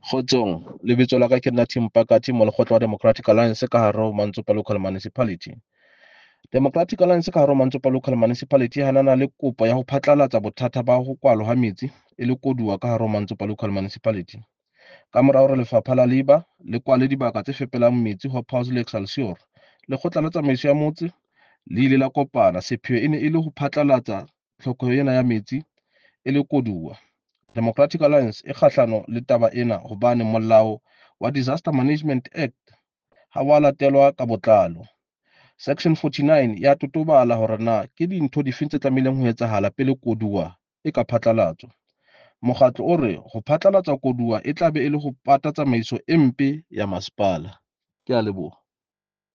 Kgotsong, lebitso la ka ke nna Tim Pakati, molekgotla wa Democratic Alliance ka hare ho Mantsopa Local Municipality. Democratic Alliance ka hare ho Mantsopa Local Municipality e hanana le kopo ya ho phatlalatsa bothata ba ho kwalwa ha metsi e le koduwa ka hare ho Mantsopa Local Municipality. Ka mora hore lefapha la Labour le kwale dibaka tse fepelang metsi Hobhouse le Excelsior, lekgotla la tsamaiso ya motse le ile la kopana. Sepheo e ne e le ho phatlalatsa tlhokeho ena ya metsi e le koduwa. Democratic Alliance e kgahlano le taba ena hobane molao wa Disaster Management Act ha wa latelwa ka botlalo. Section 49 ya totobala hore na ke dintho difeng tse tlamehileng ho etsahala pele koduwa e ka phatlalatswa. Mokgatlo o re ho phatlalatsa koduwa e tla be e le ho pata tsamaiso e mpe ya masepala. Ke a leboha.